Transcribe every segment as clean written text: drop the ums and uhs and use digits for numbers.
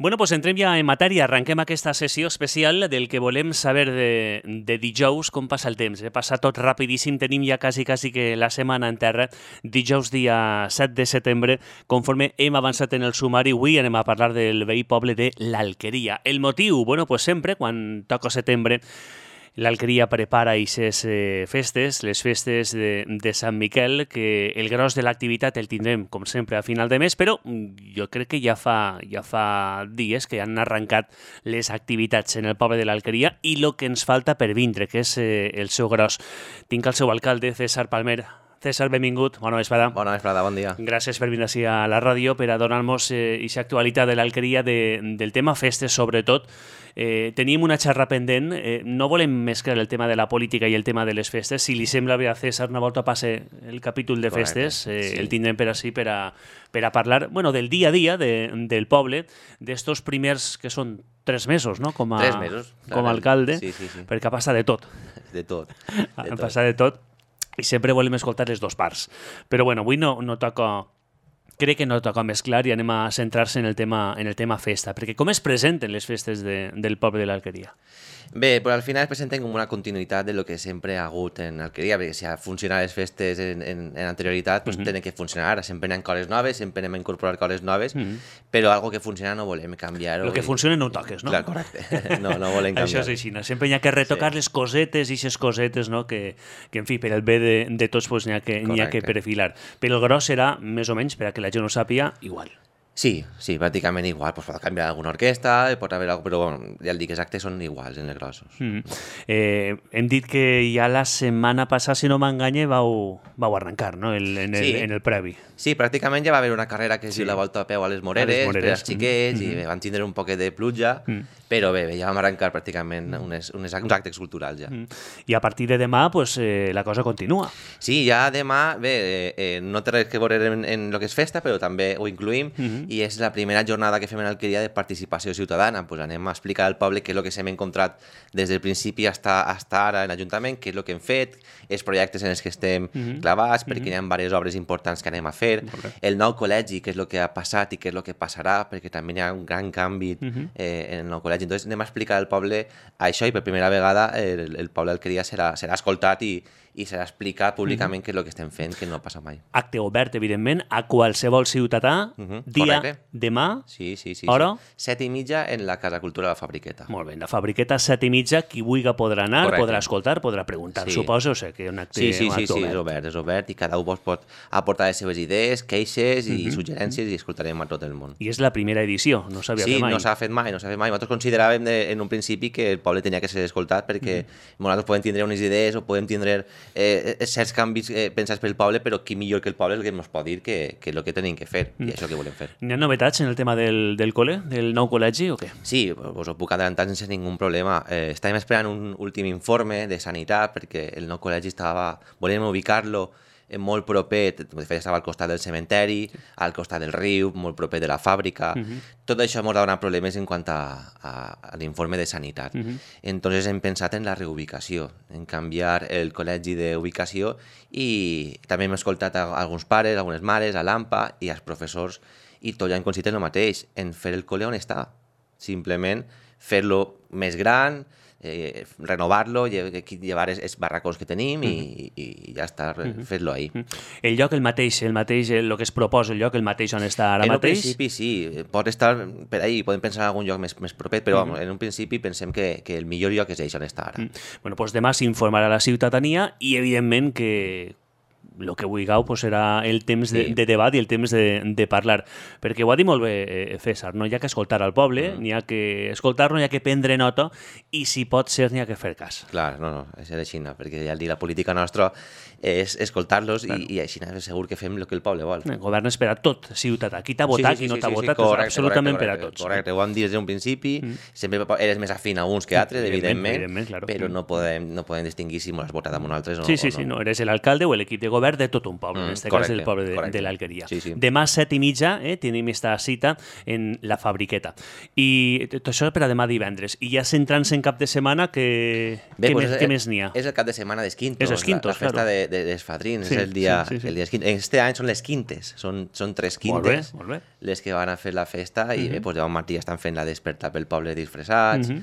Bueno, pues entrem ja en matèria. Arrenquem aquesta sessió especial del que volem saber de dijous, com passa el temps. Passa tot rapidíssim, tenim ja quasi que la setmana en terra. Dijous, dia 7 de setembre, conforme hem avançat en el sumari, avui anem a parlar del veí poble de l'Alqueria. El motiu? Bueno, pues sempre, quan toca setembre, l'Alqueria prepara aquestes festes, les festes de Sant Miquel, que el gros de l'activitat el tindrem, com sempre, a final de mes, però jo crec que ja fa dies que han arrencat les activitats en el poble de l'Alqueria i el que ens falta per vindre, que és el seu gros. Tinc el seu alcalde, César Palmer. César, benvingut. Bona vesprada. Bona vesprada, bon dia. Gràcies per venir així a la ràdio per a donar-nos aquesta actualitat de l'Alqueria, del tema festes, sobretot. Tenim una xerra pendent. No volem mesclar el tema de la política i el tema de les festes. Si li sembla bé a César, una volta passe el capítol de festes, sí. El tindrem per així per a parlar del dia a dia del poble, d'estos primers, que són 3 mesos, no? 3 mesos. Com a alcalde, sí. perquè passa de tot. De tot. Passa de tot. I sempre volem escoltar les dues parts. Però avui no toca... Crec que no toca mesclar i anem a centrar-se en el tema festa, perquè com es presenten les festes del poble de l'Alqueria? Bé, però al final es presenten com una continuïtat de lo que sempre ha hagut en l'Alqueria, perquè si ha funcionat les festes en anterioritat, pues tenen que funcionar ara. Sempre hi ha coses noves, sempre anem a incorporar coses noves, però algo que funciona no volem canviar-ho. El que funciona no ho toques, no? Clar, correcte. No volem canviar. Això és així, no? Sempre hi ha que retocar les cosetes i aquestes cosetes, no? Que en fi, per el bé de tots pues, n'hi ha que perfilar. Però el gros serà, més o menys, per a que la gent ho sàpiga, igual. Sí, pràcticament igual. Pues pot canviar alguna orquestra, pot haver alguna, però bueno, ja el dic, els actes són iguals en els grossos. Hem dit que ja la setmana passada, si no m'enganye, vau arrencar, no? En el previ. Sí, pràcticament ja va haver una carrera que es diu la Volta a peu a les Moreres, per als xiquets, i van tindre un poquet de pluja, però bé, ja vam arrencar pràcticament uns actes culturals ja. I a partir de demà, pues, la cosa continua. Sí, ja demà, bé, no té res que veure en el que és festa, però també ho incluïm, i és la primera jornada que fem en l'Alqueria de participació ciutadana. Pues anem a explicar al poble què és el que s'hem encontrat des del principi fins ara en l'Ajuntament, què és el que hem fet, els projectes en els que estem clavats, perquè hi ha diverses obres importants que anem a fer, el nou col·legi, què és el que ha passat i què és el que passarà, perquè també hi ha un gran canvi en el nou col·legi. Entonces anem a explicar al poble això i per primera vegada el poble d'Alqueria serà escoltat i serà explicat públicament què és el que estem fent, que no passa mai. Acte obert, evidentment, a qualsevol ciutadà, dia demà, sí. hora? 7:30 en la Casa Cultura de la Fabriqueta. Molt bé, en la Fabriqueta 7:30, qui vulgui podrà anar, podrà escoltar, podrà preguntar, suposo, o sigui que un acte obert. És obert i cada un pot aportar les seves idees, queixes i suggerències i escoltarem a tot el món. I és la primera edició, no s'havia fet mai. Sí, no s'ha fet mai. Nosaltres consideràvem en un principi que el poble tenia que ser escoltat perquè nosaltres podem tindre unes idees o podem tindre certs canvis pensats pel poble, però qui millor que el poble és el que ens pot dir que és el que tenim que fer i això que volem fer. N'hi ha novetats en el tema del col·le, del nou col·legi o què? Sí, us ho puc adelantar sense ningú problema. Estàvem esperant un últim informe de sanitat perquè el nou col·legi volíem ubicar-lo molt proper, de fet estava al costat del cementeri, al costat del riu, molt proper de la fàbrica. Tot això ens donat problemes en quant a l'informe de sanitat. Entonces hem pensat en la reubicació, en canviar el col·legi d'ubicació i també hem escoltat a alguns pares, algunes mares, a l'AMPA i als professors i tots ja hem coincidit el mateix, en fer el col·le on està. Simplement fer-lo més gran, renovar-lo, llevar els barracons que tenim i ja està, fer-lo ahí. El lloc el mateix, el que es proposa, el lloc el mateix on està ara mateix? En un principi sí, pot estar per ahí, podem pensar en algun lloc més proper, però en un principi pensem que el millor lloc és on està ara. Bueno, doncs demà s'informarà la ciutadania i evidentment que el que vulgueu serà el temps de debat i el temps de parlar. Perquè ho ha dit molt bé César, no hi ha que escoltar al poble, n'hi ha que escoltar-lo, n'hi ha que prendre nota i si pot ser n'hi ha que fer cas. Clar, no, és així, perquè ja el dir la política nostra és escoltar-los i així segur que fem el que el poble vol. El govern és per a tot ciutadà. Qui t'ha votat, qui no t'ha votat, és absolutament per a tots. Correcte, ho vam dir des d'un principi, sempre eres més afín a uns que a altres, evidentment, però no podem distingir si m'ho has votat amb un altre o no. Sí, no, eres l'alcalde o l'equip de govern obert de tot un poble, en aquest cas del poble de l'Alqueria. Sí, sí. Demà 7:30 tenim esta cita en la Fabriqueta. I tot això per a demà divendres. I ja centrant-se en cap de setmana, què més n'hi ha? És el cap de setmana dels Quintos, És els Quintos, la festa claro. dels Fadrins, Sí, és el dia sí. dels Quintos. Este any són les Quintes, són 3 Quintes Molt bé. les que van a fer la festa i pues, demà matí estan fent la desperta pel poble disfressats,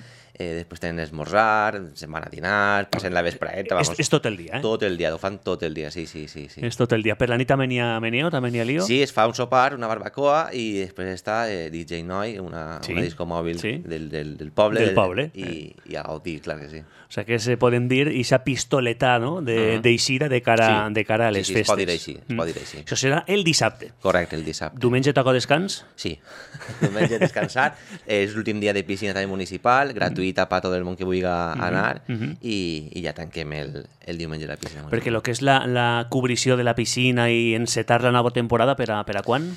després tenen esmorzar, se'n van a dinar, passen la vespraeta... És tot el dia, eh? Tot el dia, ho fan tot el dia, sí. És tot el dia. Per la nit també n'hi ha meneo, també n'hi ha lío? Sí, es fa un sopar, una barbacoa i després està DJ Noi, una disco mòbil del poble. Del poble. I a gaudir, clar que sí. O sigui que se poden dir ixa pistoleta, no?, d'eixida de cara a les festes. Es pot dir així. Això serà el dissabte. Correcte, el dissabte. Diumenge toca descans? Sí, diumenge descansat. És l'últim dia de piscina també municipal, gratuïta per tot el món que vulgui anar i ja tanquem el diumenge la piscina municipal. Perquè el que és la cobrició de la piscina i encetar la nova temporada, per a quan?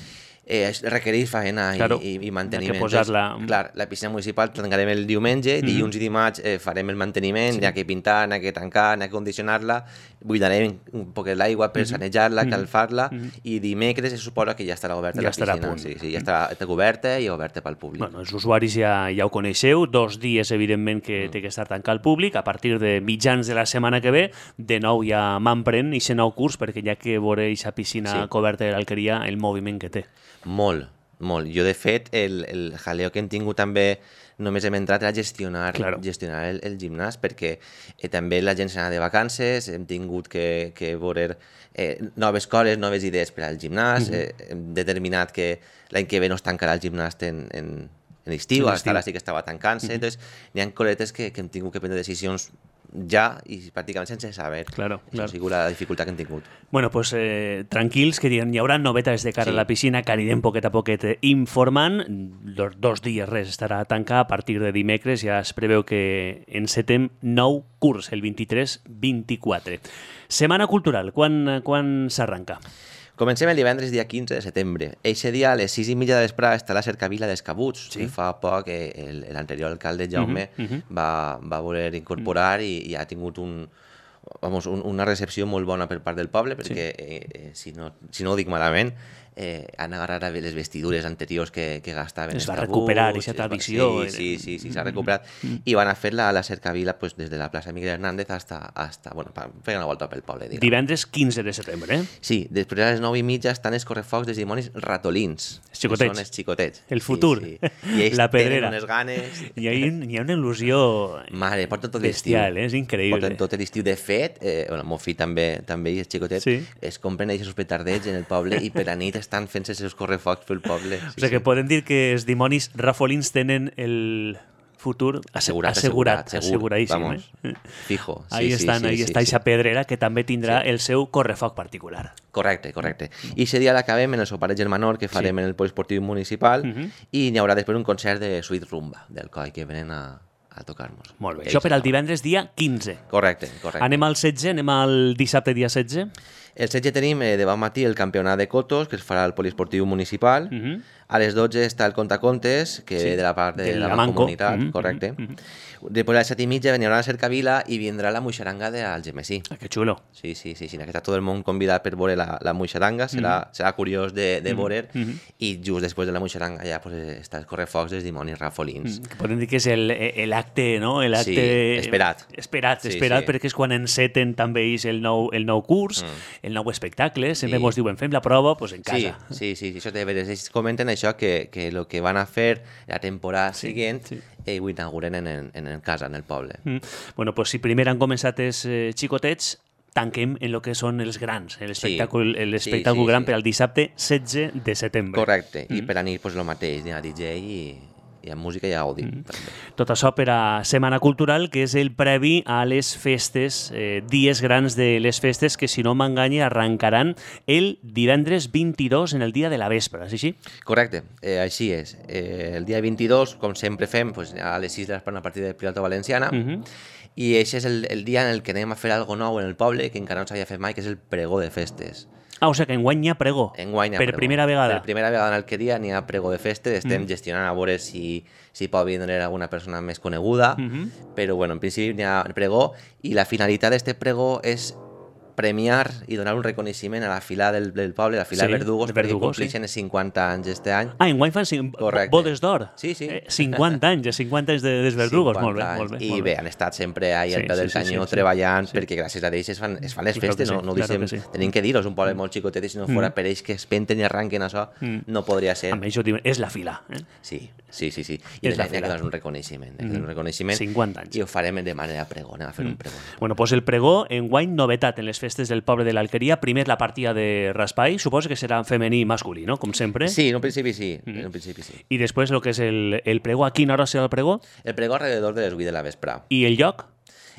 Requereix faena i manteniment. Hi ha que posar-la... Clar, la piscina municipal tancarem el diumenge, dilluns i dimarts farem el manteniment, n'hi ha que pintar, n'hi ha que tancar, n'hi ha que condicionar-la, buidarem un poc l'aigua per sanejar-la, calfar-la, i dimecres se suposa que ja estarà oberta la piscina. Sí, ja està coberta i oberta pel públic. Bueno, els usuaris ja ho coneixeu, 2 dies, evidentment, que té que estar tancat al públic, a partir de mitjans de la setmana que ve, de nou ja m'emprèn i nou curs, perquè ja que veuré aquesta piscina coberta de l'Alqueria, el moviment que té. Molt. Jo, de fet, el jaleo que hem tingut també, només hem entrat a gestionar el gimnàs, perquè també la gent s'anava de vacances, hem tingut que veure noves coses, noves idees per al gimnàs, hem determinat que l'any que ve no es tancarà el gimnàs en estiu, ara sí que estava tancant-se, doncs n'hi ha coletes que hem tingut que prendre decisions ja i pràcticament sense saber. Claro. Això ha sigut la dificultat que hem tingut. Bueno, pues tranquils, que hi haurà novetats de cara a la piscina que anirem poquet a poquet informant. 2 dies res estarà tancat. A partir de dimecres ja es preveu que encetem nou curs, el 23-24. Setmana cultural, quan s'arranca? Comencem el divendres, dia 15 de setembre. Eixe dia, a les 6:30 de vespre, està la cercavila dels Cabuts. Sí. Fa poc l'anterior alcalde, Jaume, va voler incorporar i ha tingut una recepció molt bona per part del poble, perquè, si no ho dic malament, han agarrat les vestidures anteriors que gastaven els Cabuts. Es va recuperar aquesta tradició. Sí, s'ha recuperat. I van a fer-la a la cercavila des de la plaça Miguel Hernández hasta bueno, fer una volta pel poble. Diguem. Divendres 15 de setembre, eh? Sí, després a les 9:30 estan els correfocs dels dimonis ratolins. Els xicotets. Són els xicotets. El futur. Sí. I ells la pedrera. tenen unes ganes... Hi ha una il·lusió porten tot l'estiu. bestial, és increïble. Porten tot l'estiu. De fet, el meu fill també i els xicotets es compren aquests petardets en el poble i per la nit estan fent-se els seus correfocs pel poble. O sigui que podem dir que els dimonis rafolins tenen el futur asseguradíssim. Vamos, fijo. Ahí està aquesta pedrera que també tindrà el seu correfoc particular. Correcte. I aquest dia l'acabem en el sopar de Germanor que farem en el poliesportiu municipal i n'hi haurà després un concert de Sweet Rumba del COI que venen a tocar-nos. Molt bé. Això per al divendres dia 15. Correcte. Anem al 16, anem al dissabte dia 16. El 16 tenim demà matí el campionat de cotos que es farà al poliesportiu municipal. A les 12 està el contacontes, que ve de la part de la comunitat, correcte. Després a les 7:30 venirà la cercavila i vindrà la muixaranga d'Algemesí. Que xulo. Sí, que està tot el món convidat per veure la muixaranga, serà curiós de veure, i just després de la muixaranga ja està el correfocs dels dimonis rafolins. Podem dir que és l'acte, no? Esperat. Esperat, perquè és quan enceten també el nou curs, el nou espectacle, sempre ens diuen fem la prova en casa. Sí, això té a veure. Ells comenten això, que el que van a fer la temporada següent ho inauguren en casa, en el poble. Bueno, pues si primer han començat els xicotets, tanquem en el que són els grans, l'espectacle gran per al dissabte 16 de setembre. Correcte, i per a nit el mateix, hi ha DJ i amb música i àudio. Tot això per a Setmana Cultural, que és el previ a les festes, dies grans de les festes, que si no m'enganye arrencaran el divendres 22 en el dia de la vespre, és així? Correcte, així és. El dia 22, com sempre fem, a les 6 de l'espre una partida de Pilota Valenciana, i aquest és el dia en el que anem a fer alguna nou en el poble, que encara no s'havia fet mai, que és el pregó de festes. O sigui que enguany hi ha pregó. Per primera vegada. Per primera vegada en l'Alqueria n'hi ha pregó de festes. Estem gestionant a veure si pot vindre alguna persona més coneguda, però en principi n'hi ha pregó i la finalitat d'aquest pregó és premiar i donar un reconeixement a la fila del poble, la fila Sí, de Verdugos, de perquè Verdugos, compleixen els 50 anys este any. Enguany fan Correcte. bodes d'or. Sí, sí. 50 anys, 50 anys dels Verdugos. 50 Molt bé, anys. molt bé. I molt bé, bé. han estat sempre ahí al Sí, peu del sí, sí, canyó sí, sí. treballant, Sí. perquè gràcies a ells es fan les Claro festes, que no, sí, no claro deixem, que sí. tenim que dir-ho, és un poble molt xicotet i si no fora per ells que es penten i arranquen això, no podria ser. A més, jo dic, és la fila. Sí. I És la n'hi ha que fila. donar un reconeixement. Un reconeixement 50 anys. I ho farem de manera pregó, anem a fer un pregó. Bueno, pues el pregó, enguany, novetat en les festes del poble de l'Alqueria. Primer la partida de raspall, suposo que serà femení i masculí, no? Com sempre. Sí, en un principi sí. En un principi sí. I després el que és el pregó. A quina hora serà el pregó? El pregó alrededor de les 8 de la vespre. I el lloc?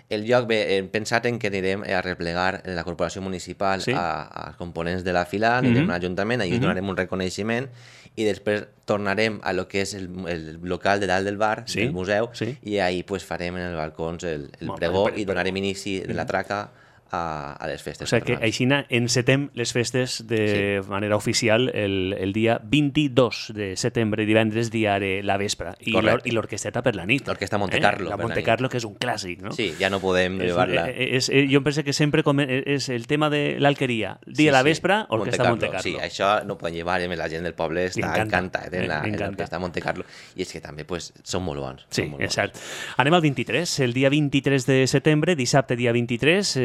El lloc, bé, hem pensat en que anirem a replegar en la corporació municipal Sí. als components de la fila, anirem a l'Ajuntament, allà donarem un reconeixement i després tornarem a lo que és el local de dalt del bar, Sí, del museu, sí. i ahí pues, farem en els balcons el Molt pregó bé, i donarem inici de la traca a les festes. O sigui que patronals. així encetem les festes de manera oficial el dia 22 de setembre, divendres, dia de la vespre. Correcte. I l'orquesteta per la nit. L'orquestra Monte Carlo La per la Monte nit. Carlo, que és un clàssic, no? Sí, ja no podem llevar-la. Jo penso que sempre és el tema de l'alqueria. Dia de la vespre, orquestra Monte Carlo. Sí, això no podem llevar, la gent del poble està encanta. encantat en M'encanta. l'orquestra Monte Carlo. I és que també pues, són molt bons. Sí, són molt és bons. cert. Anem al 23. El dia 23 de setembre, dissabte dia 23,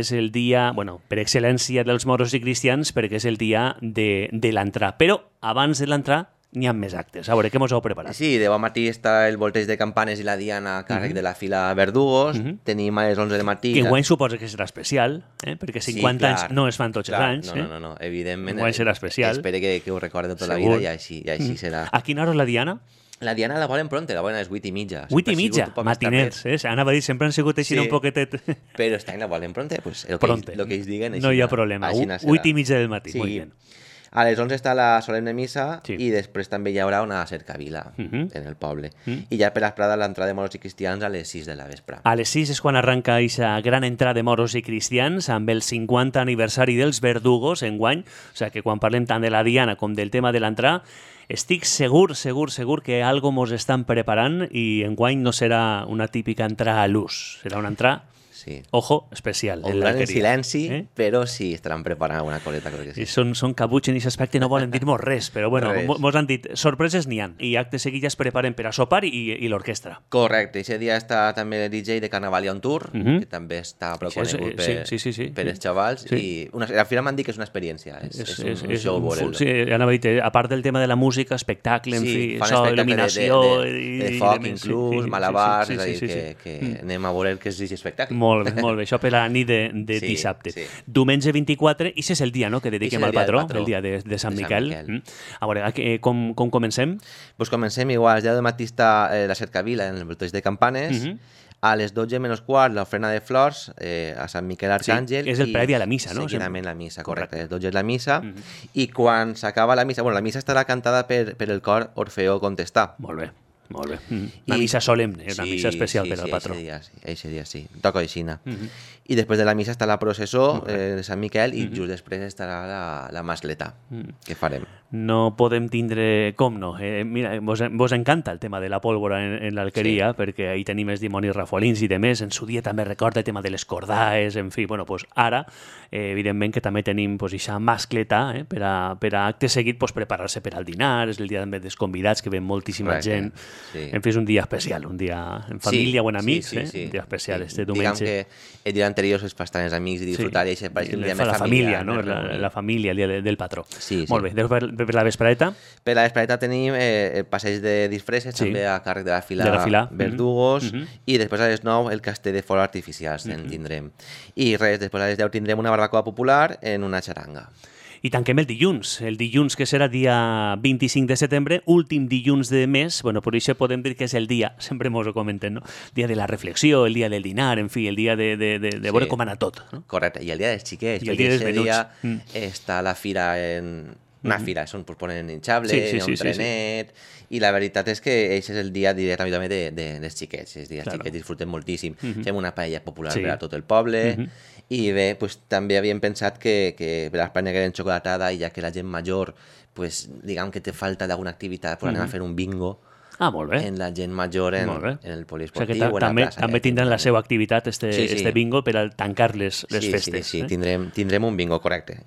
és el dia, bueno, per excel·lència dels moros i cristians, perquè és el dia de l'entrà. Però abans de l'entrà n'hi ha més actes. A veure, què mos heu preparat? Sí, de bon matí està el volteig de campanes i la diana a càrrec de la fila Verdugos. Tenim a les 11 de matí... Que enguany suposa que serà especial, perquè 50 anys no es fan tots els anys. No, evidentment. Enguany serà especial. Espero que ho recorde tota Segur. la vida i així serà. A quina hora és la diana? La diana la volen pronta, la volen a les 8:30. 8:30, matiners. Anava a dir, sempre han sigut així Sí. un poquetet... Però este any la volen pronta, pues el Pronte. que ells diguen... No hi ha problema. 8:30 del matí, molt bé. A les 11 està la solemne missa Sí. i després també hi haurà una cercavila en el poble. I ja per l'esprada l'entrada de moros i cristians a les 6 de la vespre. A les 6 és quan arranca aquesta gran entrada de moros i cristians amb el 50 aniversari dels Verdugos enguany. O sigui que quan parlem tant de la diana com del tema de l'entrada, estic segur que algo mos estan preparant i enguany no serà una típica entrada a l'ús. Serà una entrada, Sí. ojo, especial. Ho duran en l'alqueria. silenci, però sí, estaran preparant alguna coleta, crec que I sí. són cabuts en aquest aspecte i no volen dir-nos res, però bueno, Res. mos han dit, sorpreses n'hi ha. I actes seguits ja es preparen per a sopar i l'orquestra. Correcte, aquest dia està també el DJ de Carnaval on Tour, que també està prou Això és- conegut sí. per els xavals, Sí. i al final m'han dit que és una experiència, és un show veure-lo. Sí, anava a dir, a part del tema de la música, espectacle, en fi, fan so, espectacle il·luminació... de foc inclús, malabars, és a dir, que anem a veure què és aquest espectacle. Molt bé, això per a la nit de Sí, dissabte. sí. Diumenge 24, i és el dia, no?, que dediquem Ix és el al dia del patró, patró, el dia de Sant de Sant Miquel. Miquel. A veure, com comencem? Pues comencem igual, el dia de matí està la cercavila en el volteig de campanes, a les 12 menys quart l'ofrena de flors a Sant Miquel Arcàngel. és el previ a la missa, no? Seguidament la missa, correcte. A les 12 és la missa, i quan s'acaba la missa, bueno, la missa estarà cantada per el cor Orfeó Contestà. Molt bé. Una missa solemne, una missa especial per al patró. Eixe dia sí, toca aixina. I després de la missa està la processó de Sant Miquel i just després estarà la mascleta, que farem. No podem tindre... Com no? Mira, vos encanta el tema de la pólvora en l'alqueria, perquè ahí tenim els dimonis rafolins i demés. En su dia també recorda el tema de les cordaes, en fi. Bueno, pues ara, evidentment que també tenim pues, ixa mascleta per a acte seguit pues, preparar-se per al dinar. És el dia també dels convidats, que ven moltíssima gent. Sí. En fi, és un dia especial, un dia en família o en amics, un dia especial, este diumenge. Diguem que el dia anterior és per estar amb els amics i disfrutar, i això pareix un dia més la família, familiar. no? La família, el dia del patró. Sí. Molt bé, per la vespreta? Per la vespreta tenim el passeig de disfresses, també a càrrec de la fila Verdugos, i després a les 9 el castell de focs artificials en tindrem. I res, després a les 10 tindrem una barbacoa popular en una xaranga. I tanquem el dilluns que serà dia 25 de setembre, últim dilluns de mes. Bueno, per això podem dir que és el dia, sempre mos ho comenten, no? Dia de la reflexió, el dia del dinar, en fi, el dia de veure com anar tot. No? Correcte, i el dia dels xiquets, I el dia dels perquè menuts. dia està la fira en... Una fira, on ponen hinchable, un trenet, i la veritat és que aquest és el dia directament també dels xiquets. Els dies xiquets disfruten moltíssim. Fem una paella popular per a tot el poble, i bé, pues, també havíem pensat que per l'Espanya que era xocolatada, i ja que la gent major, pues, diguem que té falta d'alguna activitat, pues, anem a fer un bingo Molt bé. en la gent major en Molt bé. el O sigui poliesportiu que o en la plaça. també tindran la seva activitat, este bingo, per a tancar les festes. Sí, tindrem un bingo, correcte.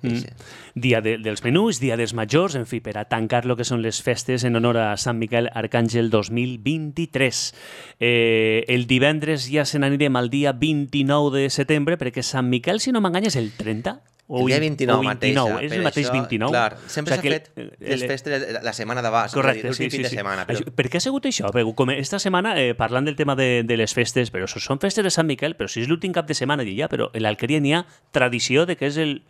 Dia dels menús, dia dels majors, en fi, per a tancar lo que són les festes en honor a Sant Miquel Arcàngel 2023. El divendres ja se n'anirem al dia 29 de setembre, perquè Sant Miquel, si no m'enganya, és el 30? El dia 29 mateix. És el mateix 29? Clar, sempre s'ha fet les festes la setmana d'abans, correcte, l'últim fin de setmana. Però... Per què ha sigut això? Perquè com esta setmana, parlant del tema de les festes, però són festes de Sant Miquel, però si és l'últim cap de setmana ja, però en l'Alqueria n'hi ha tradició de que és el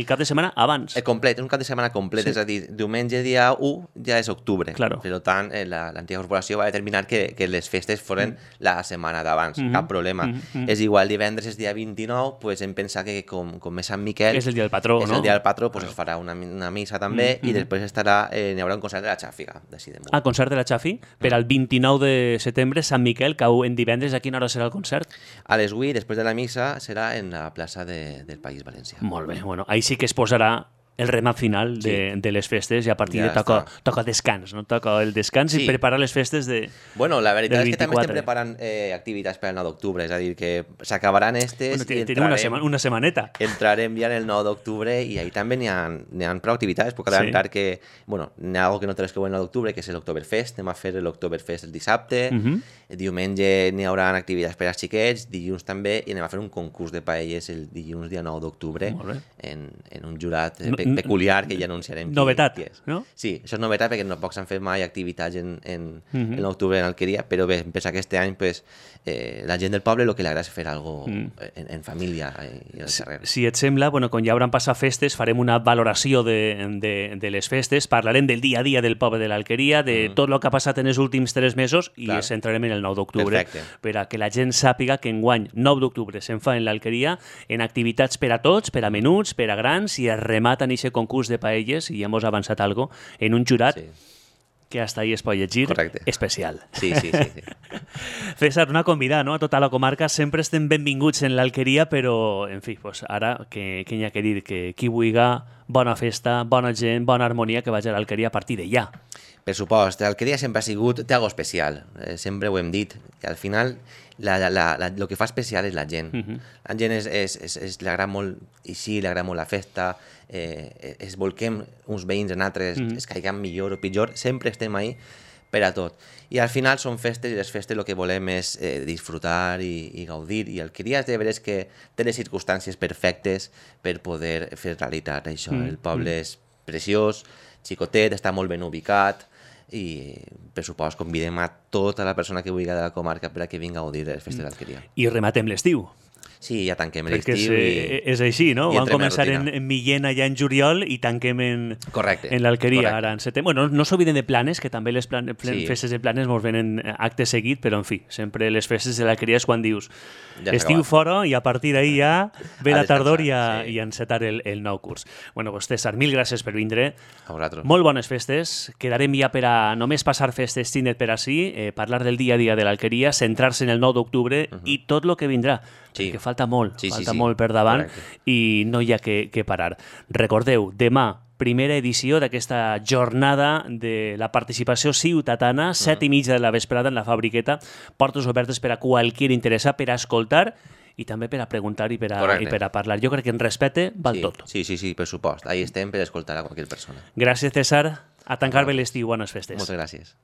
cap de setmana abans. Complet, un cap de setmana complet, és a dir, diumenge dia 1 ja és octubre. Claro. Per tant, l'antiga corporació va determinar que les festes foren la setmana d'abans, cap problema. És igual, divendres és dia 29, pues hem pensat que com és Sant Miquel... És el dia del patró, no? És el dia del patró, pues es farà una missa també i després n'hi haurà un concert de la Xàfiga, d'ací damunt. Concert de la Xafi, per al 29 de setembre, Sant Miquel, cau en divendres, a quina hora serà el concert? A les 8, després de la missa, serà en la plaça del País Valencià. Molt bé. Bueno, ahí sí que es posarà el remat final de les festes i a partir Ja de toca descans, no? Toca el descans i preparar les festes de Bueno, la veritat és que també 24. estem preparant activitats per al 9 d'octubre, és a dir, que s'acabaran estes i tenim una setmaneta. Entrarem ja en el 9 d'octubre i ahí també n'hi ha prou activitats. Puc adelantar que, bueno, n'hi ha algo que no te les creu el 9 d'octubre, que és l'Octoberfest. Anem a fer l'Octoberfest el dissabte. Diumenge n'hi haurà activitats per als xiquets, dilluns també, i anem a fer un concurs de paelles el dilluns dia 9 d'octubre en un jurat peculiar que ja anunciarem novetat, qui és. No? Sí, això és novetat perquè no poc s'han fet mai activitats en l'octubre en Alqueria, però bé, em pensa que este any pues, la gent del poble el que li agrada és fer algo en família i al carrer. Si et sembla, bueno, quan ja hauran passat festes, farem una valoració de les festes, parlarem del dia a dia del poble de l'Alqueria, de tot el que ha passat en els últims 3 mesos i ens centrarem en el 9 d'octubre per a que la gent sàpiga que enguany 9 d'octubre se'n fa en l'Alqueria en activitats per a tots, per a menuts, per a grans i es remata en aquest concurs de paelles i ja hemos avançat algo en un jurat que hasta ahí es pot llegir, especial. Sí. César, una convidada, no? A tota la comarca sempre estem benvinguts en l'Alqueria, però, en fi, pues ara, què hi ha que dir? Que qui vulga, bona festa, bona gent, bona harmonia, que vagi a l'Alqueria a partir de ja. Per supost, l'Alqueria sempre ha sigut té algo especial, sempre ho hem dit, que al final el que fa especial és la gent. La gent li agrada molt, i sí, li agrada molt la festa, es volquem uns veïns en altres, es caiguem millor o pitjor, sempre estem ahí per a tot. I al final són festes i les festes el que volem és disfrutar i gaudir. I Alqueria és de veres que té les circumstàncies perfectes per poder fer realitat això. El poble és preciós, xicotet, està molt ben ubicat, i per supost convidem a tota la persona que vulgui de la comarca per a que vingui a gaudir de les festes d'Alqueria. I rematem l'estiu. Sí, ja tanquem l'estiu. És així, no? Vam començar en Millena ja en juliol i tanquem en l'Alqueria ara en setembre. Bueno, no s'obliden de Planes, que també les festes de Planes ens venen acte seguit, però en fi, sempre les festes de l'Alqueria és quan dius estiu fora i a partir d'ahir ja ve la tardor i encetar el nou curs. Bueno, pues César, mil gràcies per vindre. A vosaltres. Molt bones festes. Quedarem ja per a només passar festes tinet per ací, parlar del dia a dia de l'Alqueria, centrar-se en el 9 d'octubre i tot el que vindrà. Perquè falta molt per davant i no hi ha que parar. Recordeu, demà, primera edició d'aquesta jornada de la participació ciutadana, 7:30 de la vesprada en la Fabriqueta, portes obertes per a qualsevol interessat, per a escoltar i també per a preguntar i per a parlar. Jo crec que en respecte val tot. Sí, per supost. Ahí estem per escoltar a qualsevol persona. Gràcies, César. A tancar bé l'estiu. Bones festes. Moltes gràcies.